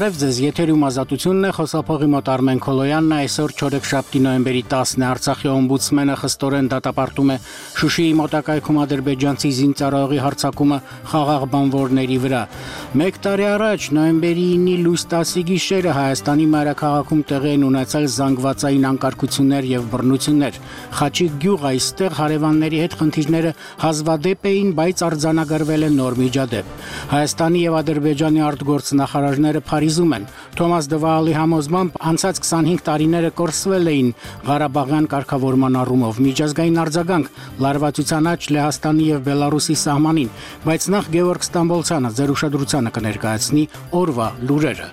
Բարև ձեզ, եթերում Ազատությունն է, խոսափողի մոտ Արմեն Քոլոյանն է, այսօր չորեքշաբթի նոյեմբերի 10-ն է, Արցախի օմբուդսմենը խստորեն դատապարտում է Շուշիի մոտակայքում ադրբեջանցի զինծառայողի հարձակումը խաղաղ բանվորների վրա։ Մեկ տարի առաջ նոյեմբերի 9-ի լույս 10-ի գիշերը Հայաստանի մայրաքաղաքում տեղի են ունեցել զանգվածային անկարգություններ եւ բռնություններ։ Խաչիկ գյուղ այստեղ հարևանների հետ խնդիրները հազվադեպ էին, բայց արձանագրվել է նոր միջադեպ։ Հայաստանի եւ Ադրբեջանի արտգործնախարարները Փարիզում են։ Թոմաս Դվալի համոզմամբ անցած 25 տարիները կորսվել էին Ղարաբաղյան կարգավորման առումով, միջազգային արձագանք լարվածության աճ Լեհաստանի եւ Բելարուսի սահմանին, բայց նախ Գևորգ Ստամբոլցյանը ձեր ուշադրությանը կներկայացնի օրվա լուրերը։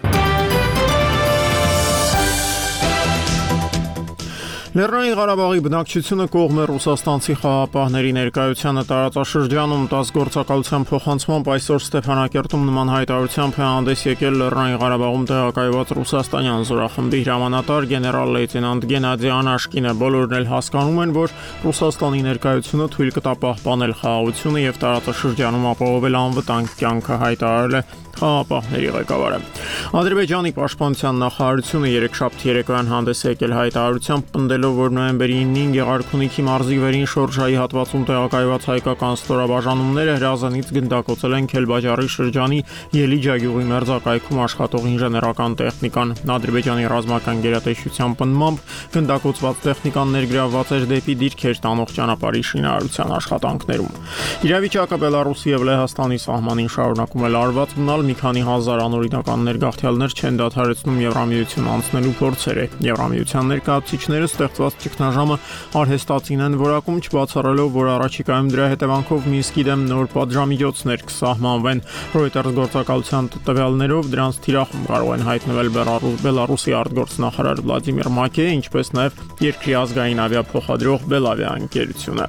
Լեռնային Ղարաբաղի բնակչությունը կողմ է ռուսաստանցի խաղապահների ներկայությանը տարածաշրջանում 10 գործակալության փոխանցմամբ այսօր Ստեփանակերտում նման հայտարարությամբ է հանդես եկել Լեռնային Ղարաբաղում տեղակայված ռուսաստանյան զորախմբի հրամանատար գեներալ-լեյտենանտ Գենադի Անաշկինը։ Բոլորն էլ հասկանում են, որ Ռուսաստանի ներկայությունը թույլ կտա պահպանել խաղաղությունը եւ տարածաշրջանում ապահովել անվտանգ կյանքը, հայտարարել է խաղապահների ղեկավարը։ Ադրբեջանի պաշտպանության նախարարությունը երեքշաբթի երեկոյան հանդես եկել հայտարարությամբ պնդելով, որ նոյեմբերի 9-ին Գեղարքունիքի մարզի վերին շորժայի հատվածում տեղակայված հայկական ստորաբաժանումները հրազենից գնդակոծել են Քելբաջարի շրջանի Ելիջա գյուղի մերձակայքում աշխատող ինժեներական տեխնիկան։ Ադրբեջանի ռազմական գերատեսչության պնդմամբ գնդակոծված տեխնիկան ներգրավված էր դեպի դիրքեր տանող ճանապարհի շինարարության աշխատանքներում։ Իրավիճակը Բելարուսի եւ Լեհաստանի սահմանին շարունակում է լարված մնալ, մի քանի հազար անօրինական ներգաղթյալներ չեն դադարեցնում Եվրամիություն անցնելու փորձերը։ Եվրամիության ներկայացուցիչները ստեղծված ճգնաժամը արհեստացին են որակում, չբացառելով, որ առաջիկայում դրա հետևանքով Մինսկի դեմ նոր պատժամիջոցներ կսահմանվեն։ Reuters գործակալության տվյալներով դրանց թիրախում կարող են հայտնվել Բելարուսի արտգործնախարար Վլադիմիր Մակեյը, ինչպես նաև երկրի ազգային ավիափոխադրող Բելավիա ընկերությունը։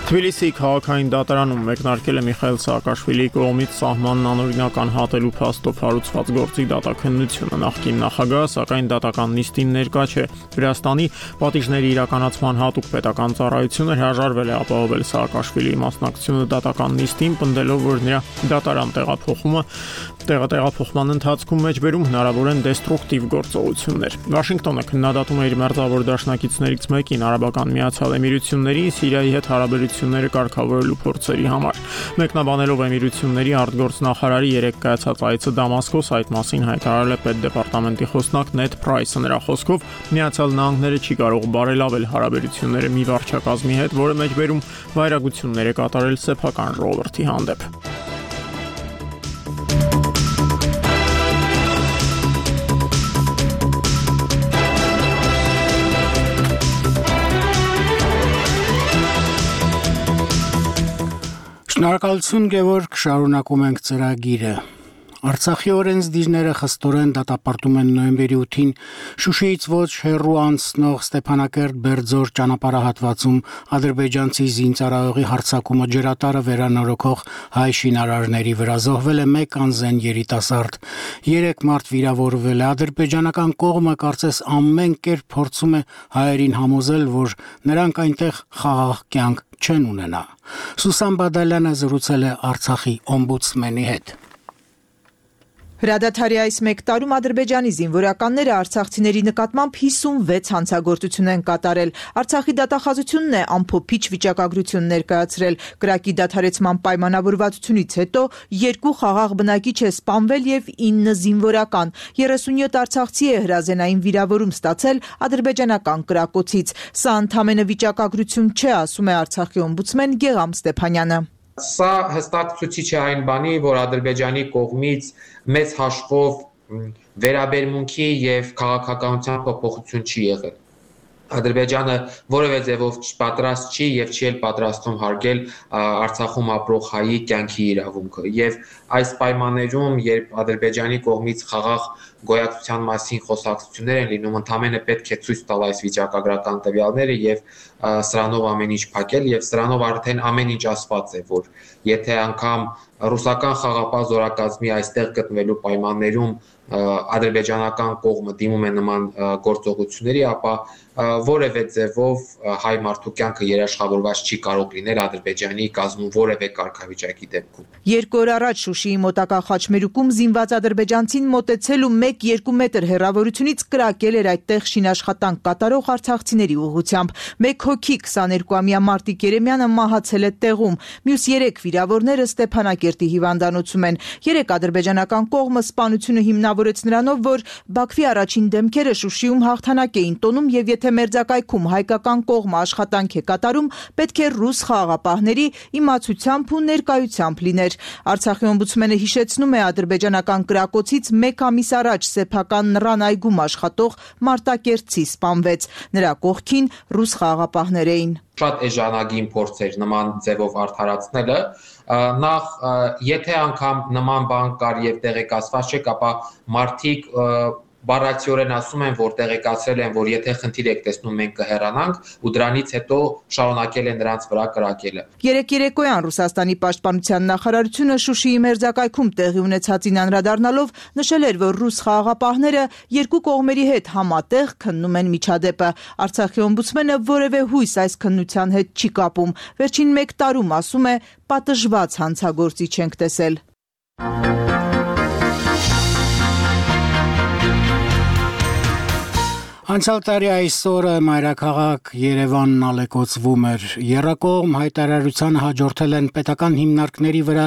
Թբիլիսիի քաղաքային դատարանում մեկնարկել է Միխայել Սաակաշվիլիի կողմից սահմանն անօրինական հատելու փաստով հարուցված գործի դատաքննությունը։ Նախկին նախագահը, սակայն դատական նիստին ներկա չէ։ Վրաստանի պատիժների իրականացման հատուկ պետական ծառայությունը հրաժարվել է ապահովել Սաակաշվիլիի մասնակցությունը դատական նիստին, պնդելով, որ նրա դատարան տեղափոխման ընթացքում մեջբերում հնարավոր են դեստրուկտիվ գործողություններ։ Վաշինգտոնը քննադատում է իր մերձավոր դաշնակիցներից մեկին Արաբական Միացյալ Էմիրություններին Սիրիայի հետ հարաբերությունները կարգավորելու փորձերի համար։ Մեկնաբանելով Էմիրությունների արտգործնախարարի երեք կայացած այցը Դամասկոս, այդ մասին հայտարարել է պետդեպարտամենտի խոսնակ Նեդ Պրայսը։ Նրա խոսքով Միացյալ Նահանգները չի կարող բարելավել հարաբերությունները մի վարչակազմի հետ, որը մեջբերում վայրագություններ է կատարել սեփական ժողովրդի հանդեպ։ Շնորհակալություն Գևորգ, շարունակում ենք ծրագիրը։ Արցախի օրենսդիրները խստորեն դատապարտում են նոյեմբերի 8-ին Շուշիից ոչ հեռու անցնող Ստեփանակերտ-Բերձոր ճանապարհահատվածում ադրբեջանցի զինծառայողի հարձակումը ջրատարը վերանորոգող հայ շինարարների վրա զոհվել է 1 անզեն երիտասարդ, 3 մարդ վիրավորվել է։ Ադրբեջանական կողմը կարծես ամեն կերպ փորձում է հայերին համոզել, որ նրանք այնտեղ խաղաղ կյանք չեն ունենա։ Սուսան Բադալյանը զրուցել է Արցախի օմբուդսմենի հետ։ Հրադադարի այս մեկ տարում Ադրբեջանի զինվորականները արցախցիների նկատմամբ 56 հանցագործություն են կատարել։ Արցախի դատախազությունն է ամփոփիչ վիճակագրություն ներկայացրել։ Կրակի դադարեցման պայմանավորվածությունից հետո 2 խաղաղ բնակիչ է սպանվել եւ 9 զինվորական։ 37 արցախցի է հրազենային վիրավորում ստացել ադրբեջանական կրակոցից։ Սա ընդամենը վիճակագրություն չէ, ասում է Արցախի օմբուդսմեն Գեգամ Ստեփանյանը։ Սա հստակ ցույցիչ է այն բանի, որ Ադրբեջանի կողմից մեծ հաշվով վերաբերմունքի եւ քաղաքականության փոփոխություն չի եղել։ Ադրբեջանը որևէ ձևով պատրաստ չի եւ չի էլ պատրաստում հարգել Արցախում ապրող հայի կյանքի իրավունքը։ Եվ այս պայմաններում, երբ Ադրբեջանի կողմից խաղաղ գոյացության մասին խոսակցություններ են լինում, ընդհանրապես պետք է ցույց տալ այս վիճակագրական տվյալները եւ սրանով ամեն ինչ փակել եւ սրանով արդեն ամեն ինչ ասված է, որ եթե անգամ ռուսական խաղապահ զորակազմի այստեղ գտնվելու պայմաններում ադրբեջանական կողմը դիմում է նման գործողությունների, ապա որևէ ձևով հայ մարդու կյանքը երաշխավորված չի կարող լինել Ադրբեջանի կազմում որևէ կարգավիճակի դեպքում։ 2 օր առաջ Շուշիի մոտակա խաչմերուկում զինված ադրբեջանցին մոտեցել ու 1-2 մետր հեռավորությունից կրակել էր այդտեղ շինաշխատանք կատարող արցախցիների ուղղությամբ։ 1 հոգի 22-ամյա Մարտիկ Երեմյանը մահացել է տեղում։ Մյուս 3 վիրավորները Ստեփանակերտի հիվանդանոցում են։ 3 ադրբեջանական կողմը սպանությունը հիմնավորեց նրանով, որ Բաքվի առաջին դեմքերը Շուշիում հաղթանակ էին տոնում եւ եթե մերձակայքում հայկական կողմը աշխատանք է կատարում, պետք է ռուս խաղաղապահների իմացությամբ ու ներկայությամբ լիներ։ Արցախի օմբուդսմենը հիշեցնում է ադրբեջանական կրակոցից 1 ամիս առաջ սեփական Նռան այգում աշխատող Մարտակերտցի սպանվեց։ Նրա կողքին ռուս խաղաղապահներ էին։ Շատ էժանագին փորձ էր նման ձևով արդարացնելը, նախ եթե անգամ նման բան կար եւ տեղեկացված չէ, ապա մարդիկ բառացիորեն ասում են, որ տեղեկացրել են, որ եթե խնդիր եք տեսնում, մենք կհեռանանք ու դրանից հետո շարունակել են նրանց վրա կրակելը։ Երեկոյան Ռուսաստանի պաշտպանության նախարարությունը Շուշիի մերձակայքում տեղի ունեցածին անդրադառնալով նշել էր, որ ռուս խաղաղապահները երկու կողմերի հետ համատեղ քննում են միջադեպը։ Արցախի օմբուդսմենը որևէ հույս այս քննության հետ չի կապում։ Վերջին 1 տարում, ասում է, պատժված հանցագործիչ ենք տեսել։ Անցյալ տարի այսօրը մայրաքաղաք Երևանն ալեկոծվում էր։ Եռակողմ հայտարարությանը հաջորդել են պետական հիմնարկների վրա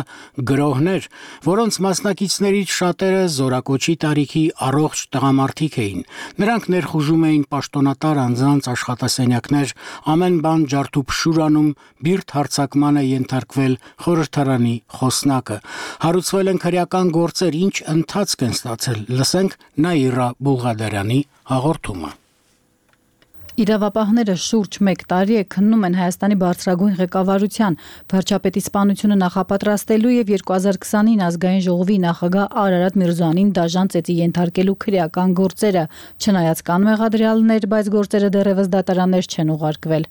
գրոհներ, որոնց մասնակիցներից շատերը զորակոչի տարիքի առողջ տղամարդիկ էին։ Նրանք ներխուժում էին պաշտոնատար անձանց աշխատասենյակներ, ամեն բան ջարդուփշուր անում, բիրտ հարձակման է ենթարկվել խորհրդարանի խոսնակը։ Հարուցվել են քրեական գործեր, ինչ ընթացք են ստացել։ Լսենք Նաիրա Բուլղադարյանի հաղորդումը։ Իրավապահները շուրջ 1 տարի է քննում են Հայաստանի բարձրագույն ղեկավարության վարչապետի սպանությունը նախապատրաստելու եւ 2029 ազգային ժողովի նախագահ Արարատ Միրզոյանին դաժան ծեծի ենթարկելու քրեական գործերը, չնայած կան մեղադրյալներ, բայց գործերը դեռևս դատարաններ չեն ուղարկվել։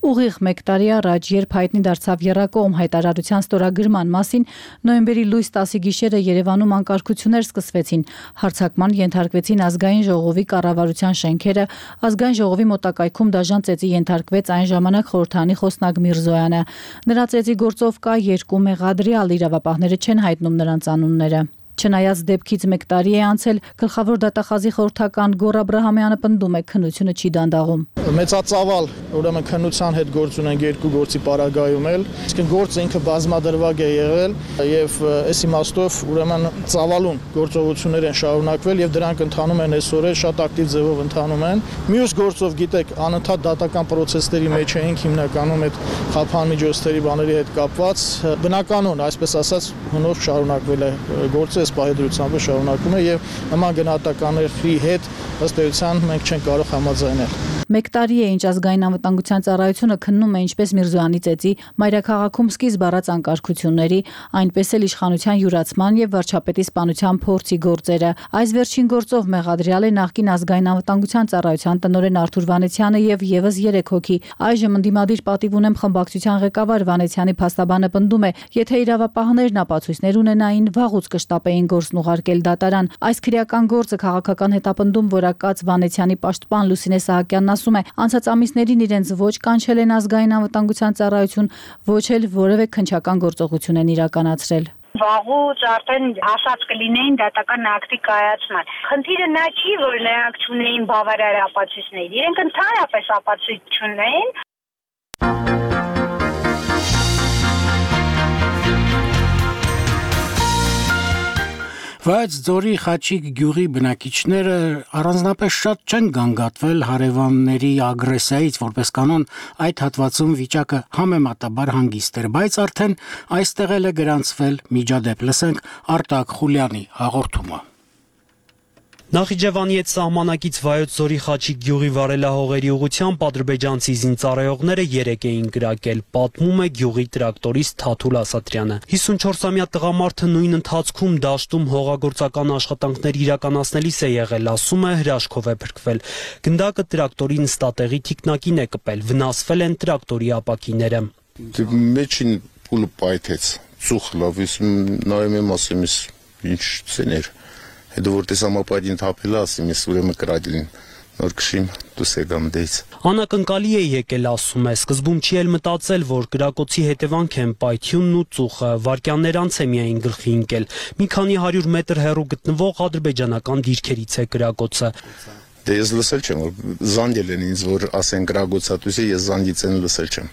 Ուղիղ 1 տարի առաջ, երբ հայտնի դարձավ եռակողմ հայտարարության ստորագրման մասին, նոյեմբերի լույս 10-ի գիշերը Երևանում անկարգություններ սկսվեցին, հարձակման ենթարկվեցին ազգային ժողովի կառավարության շենքերը, ազգային ժողովի մոտակայքում դաժան ծեծի ենթարկվեց այն ժամանակ խորհրդարանի խոսնակ Միրզոյանը։ Նրա ծեծի գործով կա 2 մեղադրյալ, իրավապահները չեն հայտնում նրանց անունները։ Չնայած դեպքից 1 տարի է անցել, գլխավոր դատախազի խորհրդական Գոռ Աբրահամյանը պնդում է, քննությունը չի դանդաղում։ Մեծածավալ, ուրեմն քննության հետ գործ ունենք 2 գործի պարագայում էլ, իսկ գործը ինքը բազմադրվակ է եղել եւ այս իմաստով ուրեմն ծավալուն գործողություններ են շարունակվել եւ դրանք ընթանում են այսօր շատ ակտիվ ձևով ընթանում են։ Մյուս գործով գիտեք, անընդհատ դատական process-ների մեջ էինք հիմնականում այդ խափան միջոցների բաների հետ կապված, բնականon, այսպես ասած, հնով շարունակվել է գործը պահեդրությամբ շարունակում է եւ նման գնահատականների հետ ըստ էության մենք չենք կարող համաձայնել։ 1 տարի է, ինչ ազգային անվտանգության ծառայությունը քննում է ինչպես Միրզոյանի ծեծի մայրաքաղաքում սկիզբ առած անկարգությունների, այնպես էլ իշխանության յուրացման եւ վարչապետի սպանության փորձի գործերը։ Այս վերջին գործով մեղադրյալ է նախկին ազգային անվտանգության ծառայության տնօրեն Արթուր Վանեցյանը եւ եւս 3 հոգի։ Այժմ ընդդիմադիր պատիվ ունեմ խմբակցության ղեկավար Վանեցյանի փաստաբանը պնդում է, եթե իրավապահներն ապացույցներ ունենային, վաղուց կշտապեին գործն ուղարկել դատարան։ Այս քրեական գործը քաղաքական հետապնդում որակած Վանեցյանի պաշտպան Լուսինե Սահակյանն ասում է, անցած ամիսներին իրենց ոչ կանչել են ազգային անվտանգության ծառայություն, ոչ էլ որևէ քննչական գործողություն են իրականացրել։ Վաղուց արդեն ասած կլինեին դատական ակտի կայացման։ Խնդիրը նա չի, որ նրանք չունեին բավարար ապացույցներ, իրենք ընդհանրապես ապացույց չունեին։ Բայց Ձորի Խաչիկ գյուղի բնակիչները առանձնապես շատ չեն գանգատվել հարևանների ագրեսիայից, որպես կանոն այդ հատվածում վիճակը համեմատաբար հանգիստ էր, բայց արդեն այստեղ էլ է գրանցվել միջադեպ։ Լսենք Արտակ Խուլյանի հաղորդումը։ Նախիջևանի հետ սահմանակից Վայոց Ձորի Խաչիկ գյուղի վարելահողերի ուղղությամբ ադրբեջանցի զինծառայողները 3 էին կրակել, պատմում է գյուղի տրակտորիստ Թաթուլ Ասատրյանը։ 54-ամյա տղամարդը նույն ընթացքում դաշտում հողագործական աշխատանքներ իրականացնելիս է եղել, ասում է, հրաշքով է փրկվել։ Գնդակը տրակտորի նստատեղի թիկնակին է կպել, վնասվել են տրակտորի ապակիները։ Մեջին փուլը պայթեց, ծուխ լավից նայում եմ, ասում եմ, ինչ ցեներ։ Հետո որ տեսամապայտին թափելա, ասում ես ուրեմն կրակել են։ նոր քշիմ դուս եկամ դից։ Անակնկալի է եկել, ասում է, սկզբում չի էլ մտածել, որ կրակոցի հետևանք են պայթյունն ու ծուխը, վայրկյաններ անց է միայն գլխի ընկել։ Մի քանի 100 մետր հեռու գտնվող ադրբեջանական դիրքերից է կրակոցը։ Դե ես լսել չեմ, որ զանգել են ինձ, որ ասեն կրակոցատույց է, ես զանգից են լսել չեմ։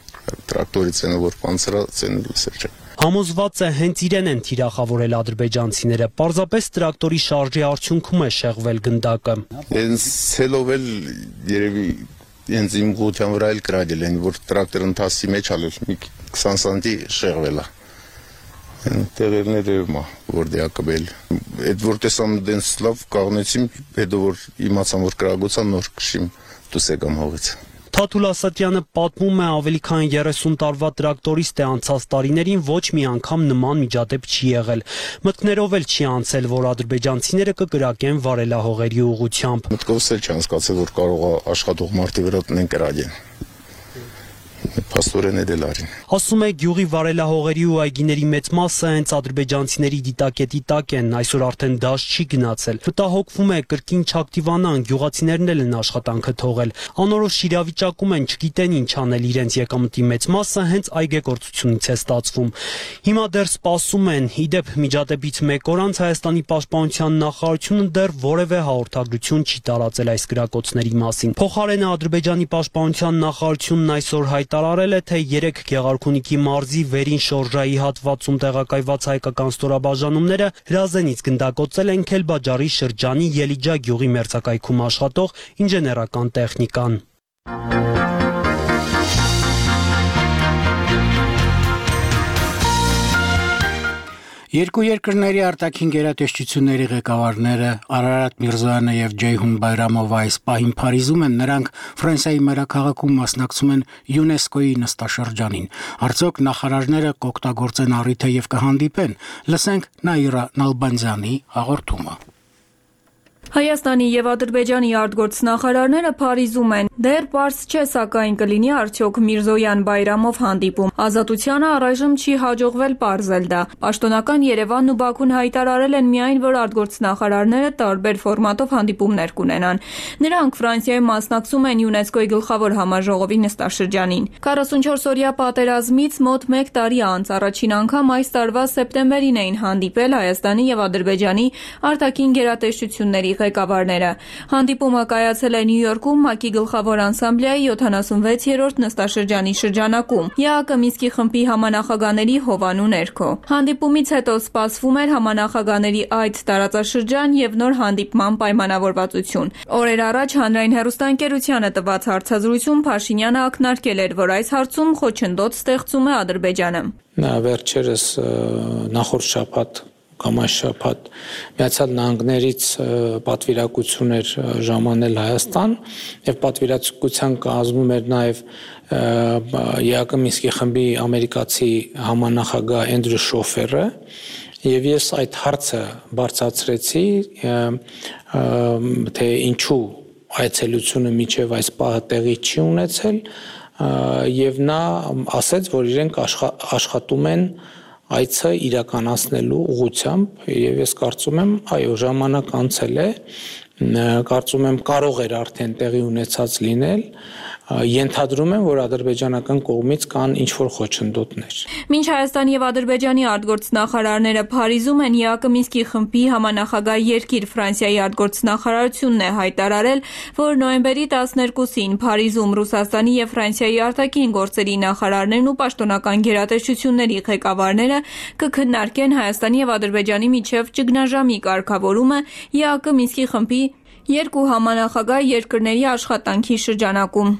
Տրակտորից են, որ պանցրած են լսել չեմ։ Համոզված է հենց իրեն են թիրախավորել ադրբեջանցիները, պարզապես տրակտորի շարժի արդյունքում է շեղվել գնդակը։ Հենց ցելով էլ երևի հենց իմ գության վրա էլ կրակել են, որ տրակտոր ընթացի մեջ ալել մի 20 սանտի շեղվել է։ Տեղերները մա որ դիակաբել։ Այդ որ տեսամ դենց լավ կաղնեցիմ, հետո որ իմացամ որ կրակոցա նոր քշիմ դուս եկամ հողից։ Թաթուլ Ասատրյանը պատմում է ավելի քան 30 տարվա տրակտորիստ է, անցած տարիներին ոչ մի անգամ նման միջադեպ չի եղել։ Մտքներով էլ չի անցել, որ ադրբեջանցիները կկրակեն վարելահողերի ուղղությամբ։ Մտքովս էլ չանցկացել, որ կարող է աշխատող մարդի վրա տնեն կրակեն։ Փաստորեն էլ արին։ Ասում է գյուղի վարելահողերի ու այգիների մեծ մասը հենց ադրբեջանցիների դիտակետի տակ են, այսօր արդեն դաշտ չի գնացել։ Մտահոգվում է կրկին չակտիվանան, գյուղացիներն էլ են աշխատանքը թողել։ Անորոշ իրավիճակում են, չգիտեն ինչ անել, իրենց եկամտի մեծ մասը հենց այգեգործությունից է ստացվում։ Հիմա դեռ սպասում են, իդեպ միջադեպից մեկ օր անց Հայաստանի պաշտպանության նախարարությունը դեռ որևէ հաղորդագրություն չի տարածել այս կրակոցների մասին։ Փոխարենը Ադրբեջանի պաշտպանության նախարարությունն այսօր հայտարարել է, թե 3 Գեղարքունիքի մարզի վերին շորժայի հատվածում տեղակայված հայկական ստորաբաժանումները հրազենից գնդակոծել են Քելբաջարի շրջանի Ելիջա գյուղի մերձակայքում աշխատող ինժեներական տեխնիկան։ Երկու երկրների արտաքին գերատեսչությունների ղեկավարները Արարատ Միրզոյանը եւ Ջեյհուն Բայրամովը այս պահին Փարիզում են, նրանք Ֆրանսիայի մայրաքաղաքում մասնակցում են ՅՈՒՆԵՍԿՕ-ի նստաշրջանին։ Արդյոք նախարարները կօգտագործեն առիթը եւ կհանդիպեն։ Լսենք Նաիրա Նալբանդյանի հաղորդումը։ Հայաստանի եւ Ադրբեջանի արտգործնախարարները Փարիզում են։ Դեռ պարզ չէ, սակայն կլինի արդյոք Միրզոյան-Բայրամով հանդիպում։ Ազատությանը առայժմ չի հաջողվել պարզել դա։ Պաշտոնական Երևանն ու Բաքուն հայտարարել են միայն, որ արտգործնախարարները տարբեր ֆորմատով հանդիպումներ կունենան։ Նրանք Ֆրանսիայում մասնակցում են ՅՈՒՆԵՍԿՕ-ի գլխավոր համաժողովի նստաշրջանին։ 44-օրյա պատերազմից մոտ 1 տարի անց առաջին անգամ այս տարվա սեպտեմբերին էին հանդիպել Հայաստանի եւ Ադրբեջանի արտաքին գերատեսչությունների ղեկավարները։ Հանդիպումը կայացել է Նյու Յորքում ՄԱԿ-ի գլխավոր ասամբլեայի 76-րդ նստաշրջանի շրջանակում ԵԱԿ Մինսկի խմբի համանախագահների հովանու ներքո։ Հանդիպումից հետո սպասվում էր համանախագահների այդ տարածաշրջան եւ նոր հանդիպման պայմանավորվածություն։ Օրեր առաջ հանրային հեռուստաընկերությանը տված հարցազրույցում Փաշինյանը ակնարկել էր, որ այս հարցում խոչընդոտ ստեղծում է Ադրբեջանը։ Վերջերս նախորդ շաբաթ կամ այս շաբաթ Միացյալ Նահանգներից պատվիրակություն էր ժամանել Հայաստան եւ պատվիրակության կազմում էր նաեւ ԵԱԿ Մինսկի խմբի ամերիկացի համանախագահ Էնդրյու Շոֆերը եւ ես այդ հարցը բարձրացրեցի թե ինչու այցելությունը միջև այս պահը տեղի չի ունեցել եւ նա ասաց, որ իրենք աշխատում են այցը իրականացնելու ուղղությամբ եւ ես կարծում եմ, այո, ժամանակ անցել է, կարծում եմ կարող էր արդեն տեղի ունեցած լինել, ենթադրում եմ, որ ադրբեջանական կողմից կան ինչ-որ խոչընդոտներ։ Մինչ Հայաստանի եւ Ադրբեջանի արտգործնախարարները Փարիզում են, ԵԱԿ Մինսկի խմբի համանախագահ երկիր Ֆրանսիայի արտգործնախարարությունն է հայտարարել, որ նոյեմբերի 12-ին Փարիզում Ռուսաստանի եւ Ֆրանսիայի արտաքին գործերի նախարարներն ու պաշտոնական գերատեսչությունների ղեկավարները կքննարկեն Հայաստանի եւ Ադրբեջանի միջև ճգնաժամի կարգավորումը ԵԱԿ Մինսկի խմբի երկու համանախագահ երկրների աշխատանքի շրջանակում։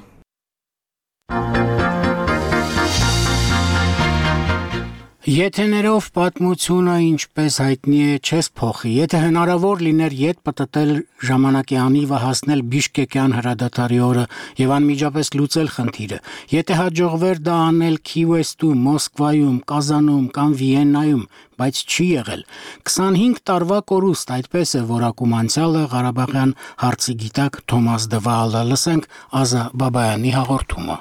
Եթեներով պատմությունը ինչպես հայտնի է չես փոխի։ Եթե հնարավոր լիներ ետ պտտել ժամանակի անիվը հասնել Բիշկեկյան հրադադարի օրը եւ անմիջապես լուծել խնդիրը, եթե հաջողվեր դա անել Քիևում, Մոսկվայում, Կազանում կամ Վիեննայում, բայց չի եղել։ 25 տարվա կորուստ, այդպես է որակում անցյալը Ղարաբաղյան հարցի գիտակ Թոմաս Դվալը։ Լսենք Ազա Բաբայանի հաղորդումը։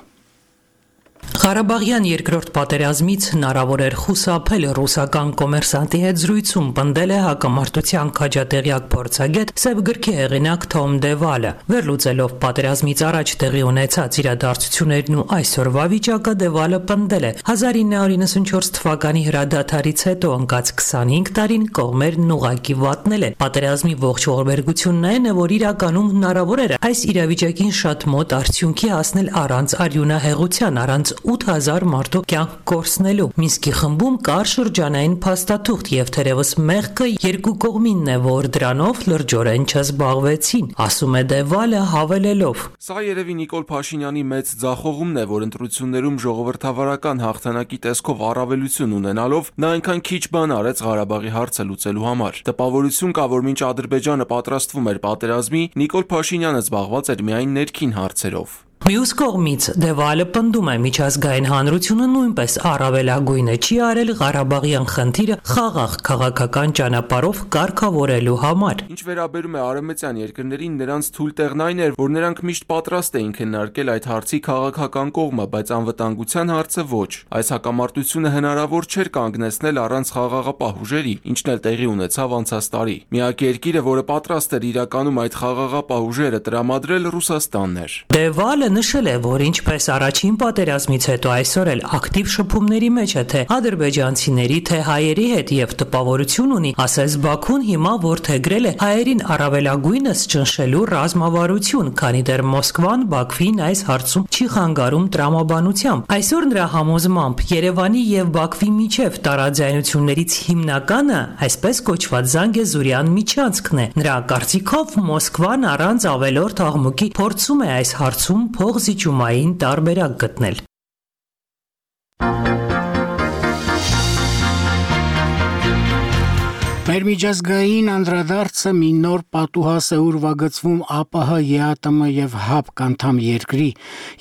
Ղարաբաղյան երկրորդ պատերազմից հնարավոր էր խուսափել ռուսական կոմերսանտի հետ զրույցում պնդել է հակամարտության քաջատեղյակ փորձագետ Սև գրքի հեղինակ Թոմ Դևալը։ Վերլուծելով պատերազմից առաջ տեղի ունեցած իրադարձություններն ու այսօրվա վիճակը Դևալը պնդել է 1994 թվականի հրադադարից հետո ընկած 25 տարին կողմերն ուղղակի վատնել են։ Պատերազմի ողջ ողբերգությունն այն է, որ իրականում հնարավոր էր այս իրավիճակին շատ մոտ արդյունքի հասնել առանց արյունահեղության, առանց 8000 մարդու կյանք կորցնելու։ Մինսկի խմբում կար շրջանային փաստաթուղթ եւ թերևս մեղքը երկու կողմինն է, որ դրանով լրջորեն չզբաղվեցին, ասում է Դևալը հավելելով. Սա երևի Նիկոլ Փաշինյանի մեծ ձախողումն է, որ ընտրություններում ժողովրդավարական հաղթանակի տեսքով առավելություն ունենալով նա այնքան քիչ բան արեց Ղարաբաղի հարցը լուծելու համար։ Տպավորություն կա, որ մինչ Ադրբեջանը պատրաստվում էր պատերազմի, Նիկոլ Փաշինյանը զբաղված էր միայն ներքին հարցերով։ Մյուս կողմից Դևալը պնդում է միջազգային հանրությունը նույնպես առավելագույնը չի արել Ղարաբաղյան խնդիրը խաղաղ քաղաքական ճանապարհով կարգավորելու համար։ Ինչ վերաբերում է արևմտյան երկրներին, նրանց թույլ տեղն այն էր, որ նրանք միշտ պատրաստ էին քննարկել այդ հարցի քաղաքական կողմը, բայց անվտանգության հարցը ոչ։ Այս հակամարտությունը հնարավոր չէր կանգնեցնել առանց խաղաղապահ ուժերի, ինչն էլ տեղի ունեցավ անցած տարի։ Միակ երկիրը, որը պատրաստ էր իրականում այդ խաղաղապահ ուժերը տրամադրել, Ռուսաստանն էր։ Դևալը նշել է, որ ինչպես առաջին պատերազմից հետո այսօր էլ ակտիվ շփումների մեջ է թե ադրբեջանցիների, թե հայերի հետ եւ տպավորություն ունի, ասես Բաքուն հիմա որդեգրել է հայերին առավելագույնս ճնշելու ռազմավարություն, քանի դեռ Մոսկվան Բաքվին այս հարցում չի խանգարում տրամաբանությամբ։ Այսօր նրա համոզմամբ Երևանի եւ Բաքվի միջև տարաձայնություններից հիմնականը այսպես կոչված Զանգեզուրյան միջանցքն է։ Նրա կարծիքով Մոսկվան առանց ավելորդ աղմուկի փորձում է այս հարցում փողզիջումային տարբերակ գտնել։ Մեր միջազգային անդրադարձը մի նոր պատուհաս է ուրվագծվում ԱՊՀ, ԵԱՏՄ եւ ՀԱՊԿ անդամ երկրի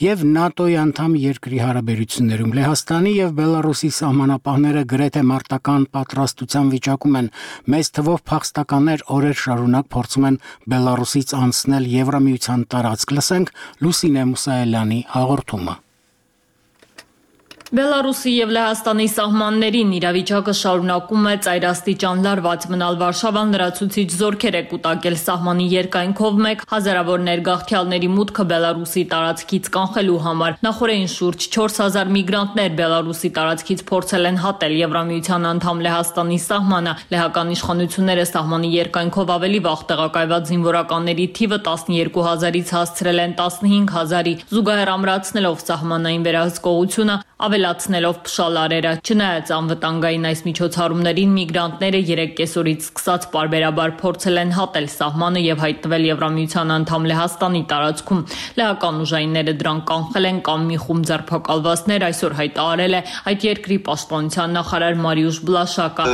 եւ ՆԱՏՕ-ի անդամ երկրի հարաբերություններում։ Լեհաստանի եւ Բելարուսի սահմանապահները գրեթե մարտական պատրաստության վիճակում են։ Մեծ թվով փախստականներ օրեր շարունակ փորձում են Բելարուսից անցնել Եվրամիության տարածք։ Լսենք Լուսինե Մուսայելյանի հաղորդումը։ Բելարուսի եւ Լեհաստանի սահմաններին իրավիճակը շարունակում է ծայրաստիճան լարված մնալ։ Վարշավան լրացուցիչ զորքեր է կուտակել սահմանի երկայնքով մեկ հազարավոր ներգաղթյալների մուտքը Բելարուսի տարածքից կանխելու համար։ Նախորդին շուրջ 4000 միգրանտներ Բելարուսի տարածքից փորձել են հատել Եվրամիության անդամ Լեհաստանի սահմանը։ Լեհական իշխանությունները սահմանի երկայնքով ավելի վաղ տեղակայված զինվորականների թիվը 12000-ից հասցրել են 15000-ի, զուգահեռ ամրացնելով սահմանային վերահսկողությունը, ավելացնելով փշալարերը։ Չնայած անվտանգային այս միջոցառումներին միգրանտները 3 կեսօրից սկսած պարբերաբար փորձել են հատել սահմանը եւ հայտնվել Եվրամիության անդամ Լեհաստանի տարածքում։ Լեհական ուժայինները դրան կանխել են կամ մի խումբ ձերբակալվածներ այսօր հայտարարել է այդ երկրի պաշտպանության նախարար Մարիուշ Բլաշակը։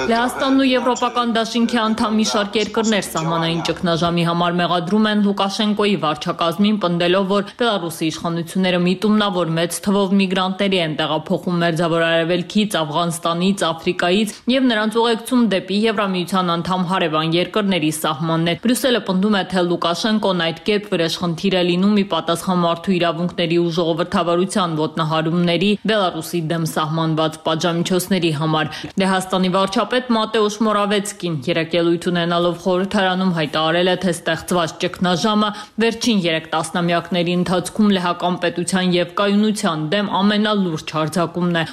Լեհաստանն ու Եվրոպական դաշինքի անդամ մի շարք երկրներ սահմանային ճգնաժամի համար մեղադրում են Լուկաշենկոյի վարչակազմին, պնդելով, որ Բելարուսի իշխանությունները միտումնավոր մեծ թվով միգրանտների են տեղափոխում Մերձավոր Արևելքից, Աֆղանստանից, Աֆրիկայից եւ նրանց ուղեկցում դեպի Եվրամիության անդամ հարևան երկրների սահմաններ։ Բրյուսելը պնդում է, թե Լուկաշենկոն այդ կերպ վրեժխնդիր է լինում ի պատասխան մարդու իրավունքների ու ժողովրդավարության ոտնահարումների Բելարուսի դեմ սահմանված պատժամիջոցների համար։ Լեհաստանի վարչապետ Մատեուշ Մորավեցկին երեկելույթ ունենալով խորհրդարանում հայտարարել է, թե ստեղծված ճգնաժամը վերջին 3 տասնամյակների ընթացքում լեհական պետության եւ կայունության դեմ ամենալուրջ հարձակումն է։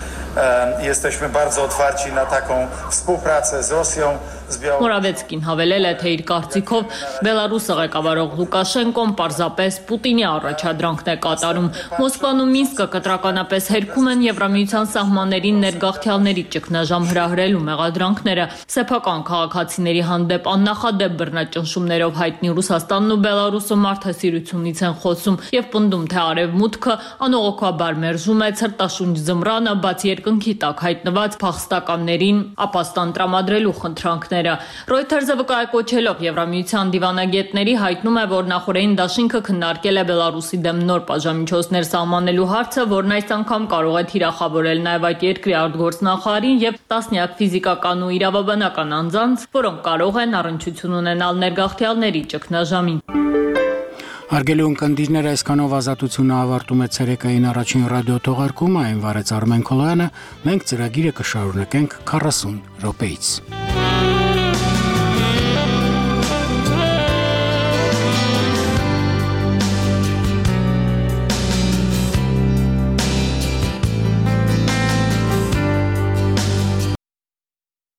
Մորավեցկին հավելել է, թե իր կարծիքով Բելարուսը ղեկավարող Լուկաշենկոն պարզապես Պուտինի առաջադրանքն է կատարում։ Մոսկվան ու Մինսկը կտրականապես հերքում են Եվրամիության սահմաններին ներգաղթյալների ճգնաժամ հրահրելու մեղադրանքները։ Սեփական քաղաքացիների հանդեպ աննախադեպ բռնաճնշումներով հայտնի Ռուսաստանն ու Բելարուսը մարդասիրությունից են խոսում եւ պնդում, թե արևմուտքը անողոքաբար մերժում է ցրտաշունչ զմռանը, բաց երկնքի տակ հայտնված փախստականներին ապաստան տրամադրելու խնդրանքները։ Reuters-ը վկայակոչելով Եվրամիության դիվանագետների հայտնում է, որ նախորդին դաշինքը քննարկել է Բելարուսի դեմ նոր պատժամիջոցներ սահմանելու հարցը, որն այս անգամ կարող է թիրախավորել նաև այդ երկրի արտգործնախարարին եւ տասնյակ ֆիզիկական ու իրավաբանական անձանց, որոնք կարող են առնչություն ունենալ ներգաղթյալների ճգնաժամին։ Հարգելի ունկնդիրներ, այսքանով ազատությունը ավարտում է ցերեկային առաջին ռադիո թողարկումը, այն վարեց Արմեն Քոլոյանը, մենք ծրագիրը կշարունակենք 40 րոպեից։